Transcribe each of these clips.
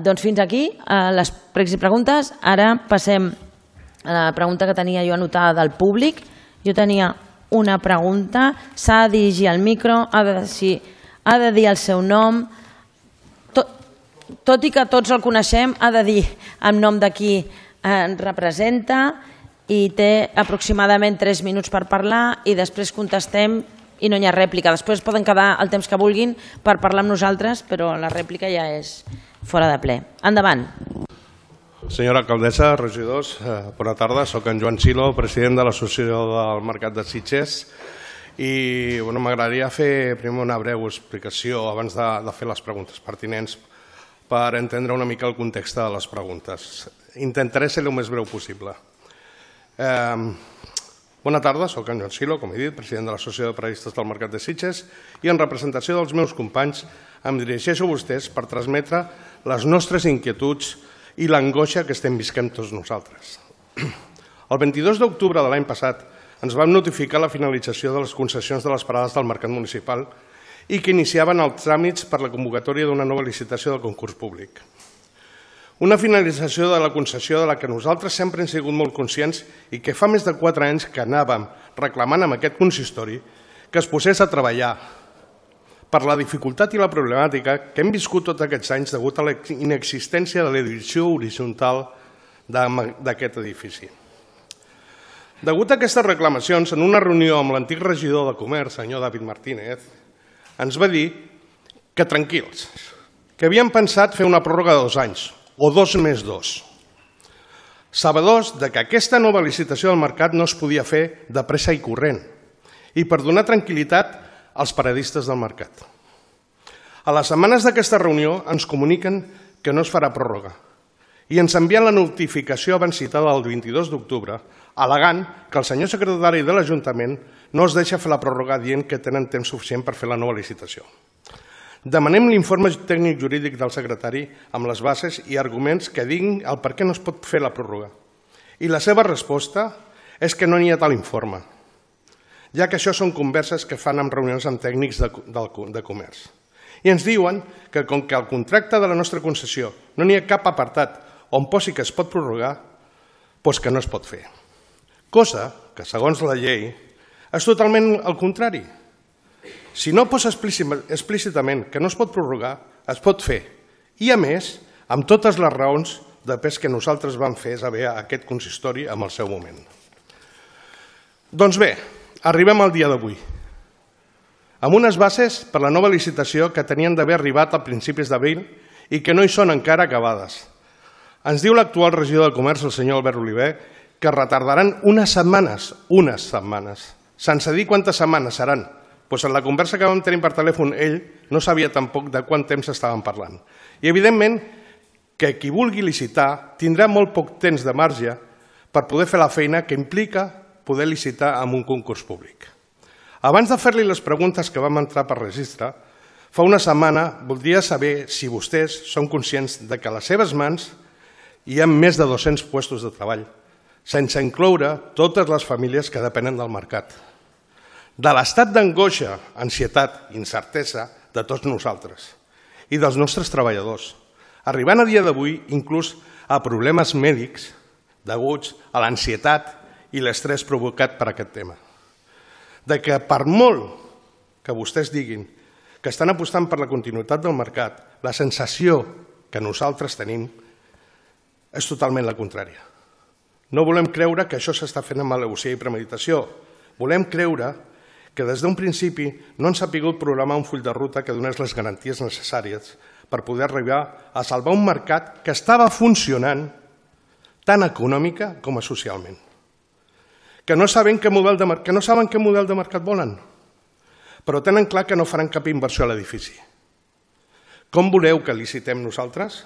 Doncs fins aquí les pregs i preguntes. Ara passem a la pregunta que tenia jo anotada del públic. Jo tenia una pregunta. S'ha de dirigir al micro, ha de dir el seu nom. Tot i que tots el coneixem, ha de dir en nom de qui representa i té aproximadament 3 minuts per parlar i després contestem i no hi ha rèplica. Després poden quedar el temps que vulguin per parlar amb nosaltres, però la rèplica ja és fora de ple. Endavant. Senyora alcaldessa, regidors, bona tarda. Soc en Joan Silo, president de l'Associació del Mercat de Sitges, i m'agradaria fer primer una breu explicació abans de fer les preguntes pertinents per entendre una mica el context de les preguntes. Intentaré ser el més breu possible. Bona tarda, soc en Joan Silo, com he dit, president de l'Associació de Periodistes del Mercat de Sitges, i en representació dels meus companys em dirigeixo a vostès per transmetre les nostres inquietuds i l'angoixa que estem visquent tots nosaltres. El 22 d'octubre de l'any passat ens vam notificar la finalització de les concessions de les parades del mercat municipal i que iniciaven els tràmits per la convocatòria d'una nova licitació del concurs públic. Una finalització de la concessió de la que nosaltres sempre hem sigut molt conscients i que fa més de 4 anys que anàvem reclamant amb aquest consistori que es posés a treballar per la dificultat i la problemàtica que hem viscut tots aquests anys degut a la inexistència de la divisió horitzontal d'aquest edifici. Degut a aquestes reclamacions, en una reunió amb l'antic regidor de Comerç, senyor David Martínez, ens va dir que tranquils, que havien pensat fer una pròrroga de 2 anys, o 2 més 2. Sabedors que aquesta nova licitació del mercat no es podia fer de pressa i corrent i per donar tranquil·litat als periodistes del mercat. A les setmanes d'aquesta reunió ens comuniquen que no es farà pròrroga i ens envien la notificació abans citada el 22 d'octubre al·legant que el senyor secretari de l'Ajuntament no es deixa fer la pròrroga dient que tenen temps suficient per fer la nova licitació. Demanem l'informe tècnic jurídic del secretari amb les bases i arguments que diguin el per què no es pot fer la pròrroga. I la seva resposta és que no n'hi ha tal informe, ja que això són converses que fan en reunions amb tècnics de comerç. I ens diuen que com que al contracte de la nostra concessió no n'hi ha cap apartat on posi que es pot prorrogar, doncs que no es pot fer. Cosa que, segons la llei, és totalment el contrari. Si no posa explícitament que no es pot prorrogar, es pot fer. I, a més, amb totes les raons de pes que nosaltres vam fer saber a aquest consistori en el seu moment. Doncs bé, arribem al dia d'avui, amb unes bases per la nova licitació que tenien d'haver arribat a principis d'abril i que no hi són encara acabades. Ens diu l'actual regidor de Comerç, el senyor Albert Oliver, que retardaran unes setmanes, sense dir quantes setmanes seran. Doncs en la conversa que vam tenir per telèfon, ell no sabia tampoc de quant temps estàvem parlant. I evidentment que qui vulgui licitar tindrà molt poc temps de marge per poder fer la feina que implica poder licitar amb un concurs públic. Abans de fer-li les preguntes que vam entrar per registre, fa una setmana voldria saber si vostès són conscients de que a les seves mans hi ha més de 200 llocs de treball, sense incloure totes les famílies que depenen del mercat. De l'estat d'angoixa, ansietat i incertesa de tots nosaltres i dels nostres treballadors, arribant a dia d'avui inclús a problemes mèdics deguts a l'ansietat i l'estrès provocat per aquest tema. De que per molt que vostès diguin que estan apostant per la continuïtat del mercat, la sensació que nosaltres tenim és totalment la contrària. No volem creure que això s'està fent amb al·legació i premeditació. Volem creure que des d'un principi no han sabut programar un full de ruta que donés les garanties necessàries per poder arribar a salvar un mercat que estava funcionant tant econòmica com socialment. Que no saben qué model de mercat volen, però tenen clar que no faran cap inversió a l'edifici. Com voleu que licitem nosaltres?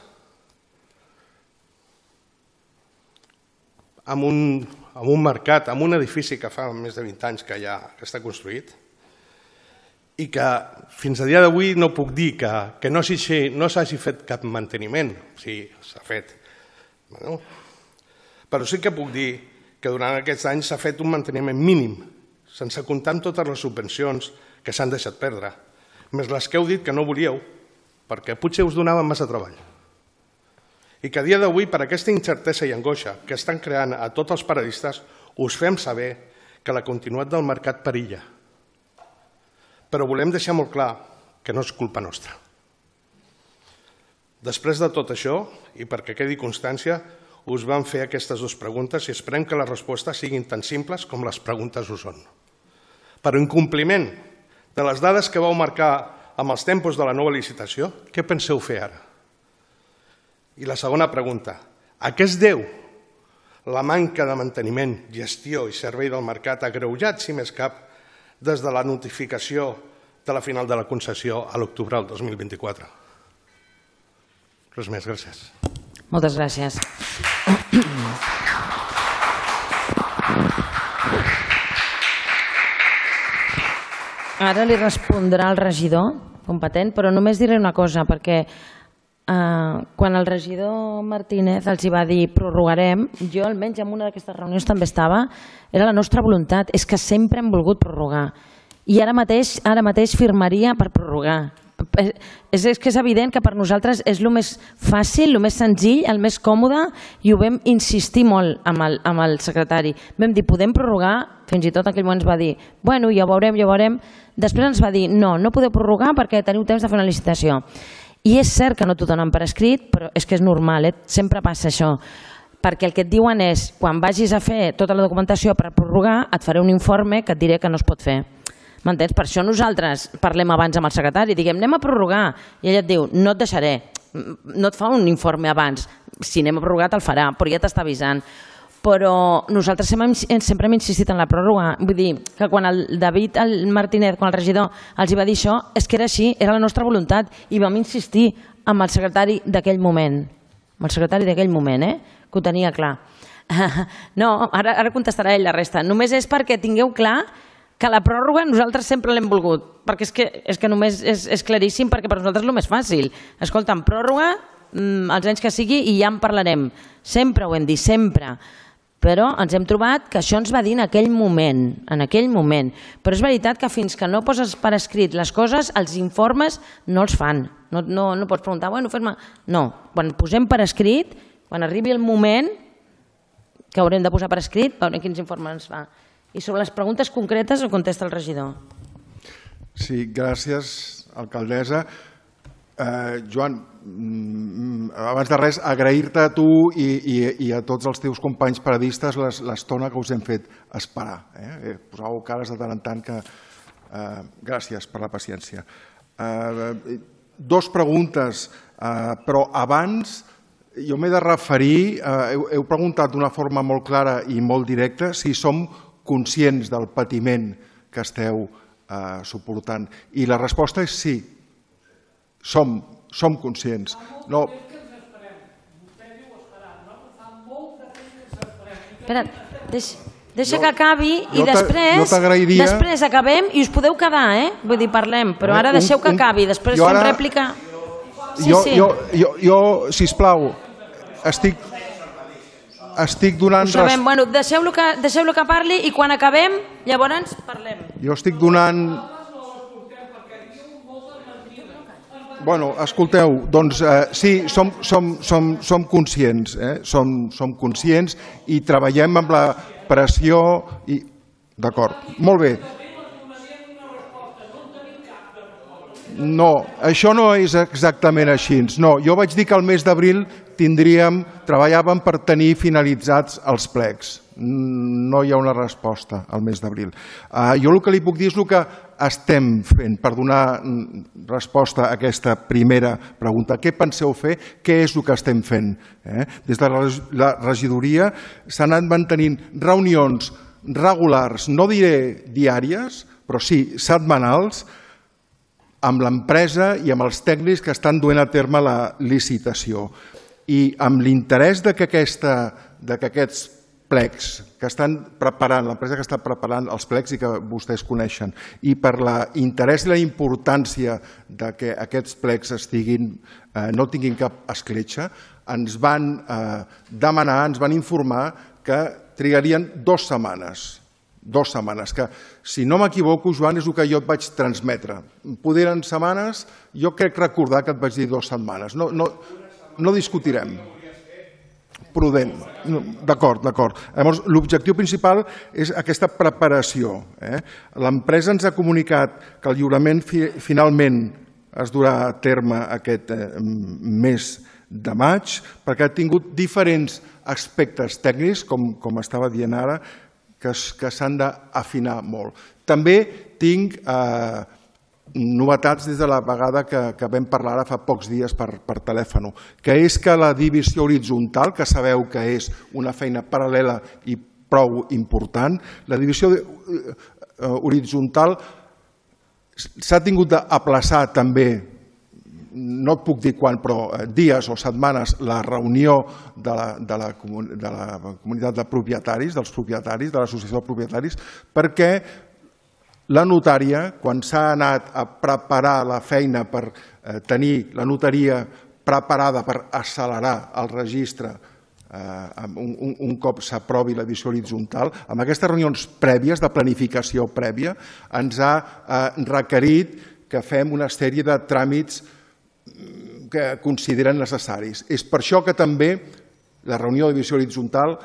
Amb un mercat, amb un edifici que fa més de 20 anys que ja està construït i que fins a dia d'avui no puc dir que no s'hagi fet cap manteniment, sí, s'ha fet, però sí que puc dir que durant aquests anys s'ha fet un manteniment mínim, sense comptar amb totes les subvencions que s'han deixat perdre, més les que heu dit que no volíeu, perquè potser us donaven massa treball. i que a dia d'avui, per aquesta incertesa i angoixa que estan creant a tots els paradistes, us fem saber que la continuïtat del mercat perilla. Però volem deixar molt clar que no és culpa nostra. Després de tot això, i perquè quedi constància, us vam fer aquestes dues preguntes i esperem que les respostes siguin tan simples com les preguntes ho són. Per incompliment de les dades que vau marcar amb els tempos de la nova licitació, què penseu fer ara? I la segona pregunta, a què es deu la manca de manteniment, gestió i servei del mercat agreujat, si més cap, des de la notificació de la final de la concessió a l'octubre del 2024? Res més, gràcies. Moltes gràcies. Ara li respondrà el regidor competent, però només diré una cosa, perquè quan el regidor Martínez els hi va dir prorrogarem, jo almenys en una d'aquestes reunions també estava, era la nostra voluntat, és que sempre hem volgut prorrogar. I ara mateix firmaria per prorrogar. És que és evident que per nosaltres és el més fàcil, el més senzill, el més còmode, i ho vam insistir molt amb el secretari. Vam dir, podem prorrogar? Fins i tot en aquell moment ens va dir, bueno, ja ho veurem. Després ens va dir, no podeu prorrogar perquè teniu temps de fer una licitació. I és cert que no t'ho donen per escrit, però és que és normal, sempre passa això. Perquè el que et diuen és, quan vagis a fer tota la documentació per prorrogar, et faré un informe que et diré que no es pot fer. M'entens? Per això nosaltres parlem abans amb el secretari, diguem, anem a prorrogar, i ell et diu, no et deixaré, no et fa un informe abans, si anem a prorrogar te'l farà, però ja t'està avisant. Però nosaltres sempre hem insistit en la pròrroga, vull dir que quan el David Martínez, quan el regidor els va dir això, és que era així, era la nostra voluntat, i vam insistir amb el secretari d'aquell moment, que ho tenia clar. No, ara contestarà ell la resta, només és perquè tingueu clar que la pròrroga nosaltres sempre l'hem volgut, perquè és que només és claríssim, perquè per nosaltres és el més fàcil. Escolta'm, pròrroga, els anys que sigui, i ja en parlarem. Sempre ho hem dit, sempre. Però ens hem trobat que això ens va dir en aquell moment. Però és veritat que fins que no poses per escrit les coses, els informes no els fan. No pots preguntar, bueno, fes-me... No, quan posem per escrit, quan arribi el moment que haurem de posar per escrit, veurem quins informes ens fa. I sobre les preguntes concretes ho contesta el regidor. Sí, gràcies, alcaldessa. Joan, abans de res, agrair-te a tu i a tots els teus companys paradistes l'estona que us hem fet esperar. Posàveu cares de tant en tant que... Gràcies per la paciència. Dos preguntes, però abans jo m'he de referir... Heu preguntat d'una forma molt clara i molt directa si som conscients del patiment que esteu suportant. I la resposta és sí. Som conscients. No. Espera, deixa que acabi i després acabem i us podeu quedar, vull dir, parlem, però ara deixeu que acabi, després fem rèplica. Jo, sisplau, estic donant... Bueno, deixeu-lo que parli i quan acabem, llavors parlem. Jo estic donant... Bueno, escolteu, doncs sí, som conscients, som conscients i treballem amb la pressió i... D'acord, molt bé. No, això no és exactament així. No, jo vaig dir que el mes d'abril treballàvem per tenir finalitzats els plecs. No hi ha una resposta al mes d'abril. Jo el que li puc dir és el que estem fent per donar resposta a aquesta primera pregunta. Què penseu fer? Què és el que estem fent? Des de la regidoria s'han anat mantenint reunions regulars, no diré diàries, però sí setmanals, amb l'empresa i amb els tècnics que estan duent a terme la licitació. I amb l'interès que aquests plecs que estan preparant, l'empresa que està preparant els plecs i que vostès coneixen, i per l'interès i la importància que aquests plecs no tinguin cap escletxa, ens van demanar, ens van informar que trigarien 2 setmanes. 2 setmanes, que si no m'equivoco, Joan, és el que jo et vaig transmetre. Poder en setmanes, jo crec recordar que et vaig dir 2 setmanes. No discutirem. prudent. D'acord. Llavors, l'objectiu principal és aquesta preparació. L'empresa ens ha comunicat que el lliurament finalment es durà a terme aquest mes de maig, perquè ha tingut diferents aspectes tècnics, com estava dient ara, que s'han d'afinar molt. També tinc novetats des de la vegada que vam parlar ara fa pocs dies per telèfon, que és que la divisió horitzontal, que sabeu que és una feina paral·lela i prou important, la divisió horitzontal s'ha tingut d'aplaçar també, no et puc dir quan, però dies o setmanes, la reunió de la comunitat de propietaris, dels propietaris, de l'associació de propietaris, perquè la notària, quan s'ha anat a preparar la feina per tenir la notaria preparada per accelerar el registre un cop s'aprovi la divisió horitzontal, amb aquestes reunions prèvies, de planificació prèvia, ens ha requerit que fem una sèrie de tràmits que consideren necessaris. És per això que també la reunió de divisió horitzontal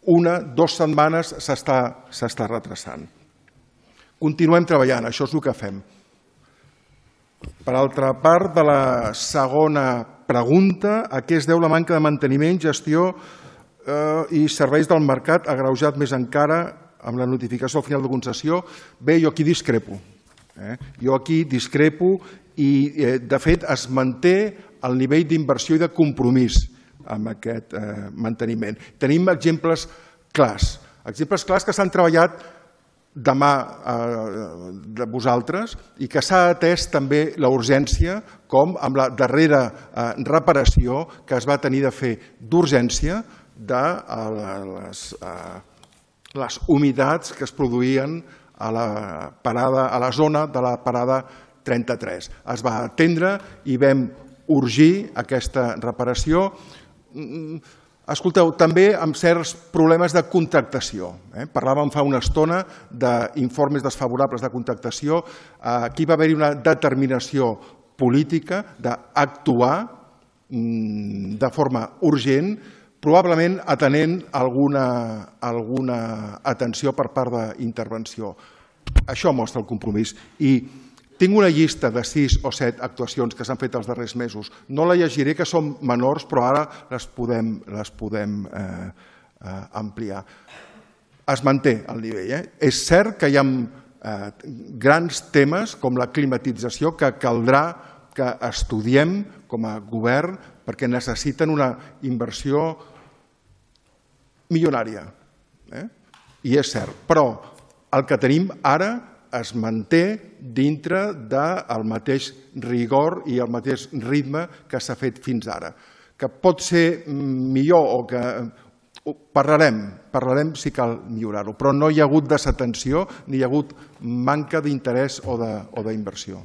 2 setmanes s'està retrasant. Continuem treballant, això és el que fem. Per altra part, de la segona pregunta, a què es deu la manca de manteniment, gestió i serveis del mercat agreujat més encara amb la notificació al final de concessió? Bé, jo aquí discrepo. I, de fet, es manté el nivell d'inversió i de compromís amb aquest manteniment. Tenim exemples clars que s'han treballat de mà de vosaltres i que s'ha atès també la urgència, com amb la darrera reparació que es va tenir de fer d'urgència de les humitats que es produïen a la zona de la parada 33. Es va atendre i vam urgir aquesta reparació. Escolteu, també amb certs problemes de contractació. Parlàvem fa una estona d'informes desfavorables de contractació. Aquí va haver-hi una determinació política d'actuar de forma urgent, probablement atenent alguna atenció per part d'intervenció. Això mostra el compromís. I tinc una llista de 6 o 7 actuacions que s'han fet els darrers mesos. No la llegiré, que són menors, però ara les podem ampliar. Es manté el nivell. És cert que hi ha grans temes com la climatització que caldrà que estudiem com a govern perquè necessiten una inversió milionària. I és cert, però el que tenim ara es manté dintre del mateix rigor i el mateix ritme que s'ha fet fins ara. Que pot ser millor o que parlarem si cal millorar-ho, però no hi ha hagut desatenció ni hi ha hagut manca d'interès o d'inversió.